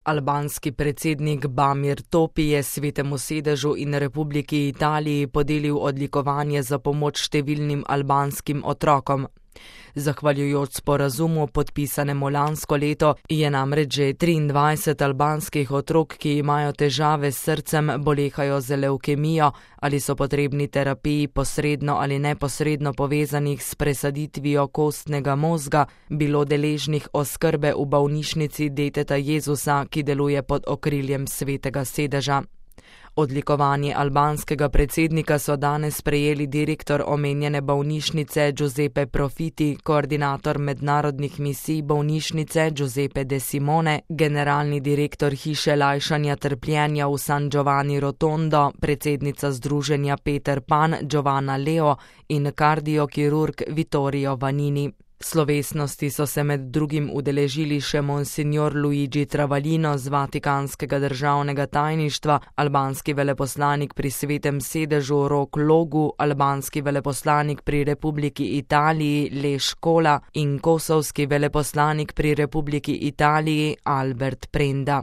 Albanski predsednik Bamir Topi je Svetemu sedežu in Republiki Italiji podelil odlikovanje za pomoč številnim albanskim otrokom. Zahvaljujoč sporazumu, podpisanemu lansko leto, je namreč že 23 albanskih otrok, ki imajo težave s srcem, bolehajo z levkemijo ali so potrebni terapiji posredno ali neposredno povezanih s presaditvijo kostnega mozga, bilo deležnih oskrbe v bolnišnici Deteta Jezusa, ki deluje pod okriljem Svetega sedeža. Odlikovanje albanskega predsednika so danes prejeli direktor omenjene bolnišnice Giuseppe Profiti, koordinator mednarodnih misij bolnišnice Giuseppe De Simone, generalni direktor hiše lajšanja trpljenja v San Giovanni Rotondo, predsednica združenja Peter Pan Giovanna Leo in kardiokirurg Vittorio Vanini. Slovesnosti so se med drugim udeležili še monsignor Luigi Travaglino z Vatikanskega državnega tajništva, albanski veleposlanik pri Svetem sedežu Rok Logu, albanski veleposlanik pri Republiki Italiji Leš Kola in kosovski veleposlanik pri Republiki Italiji Albert Prenda.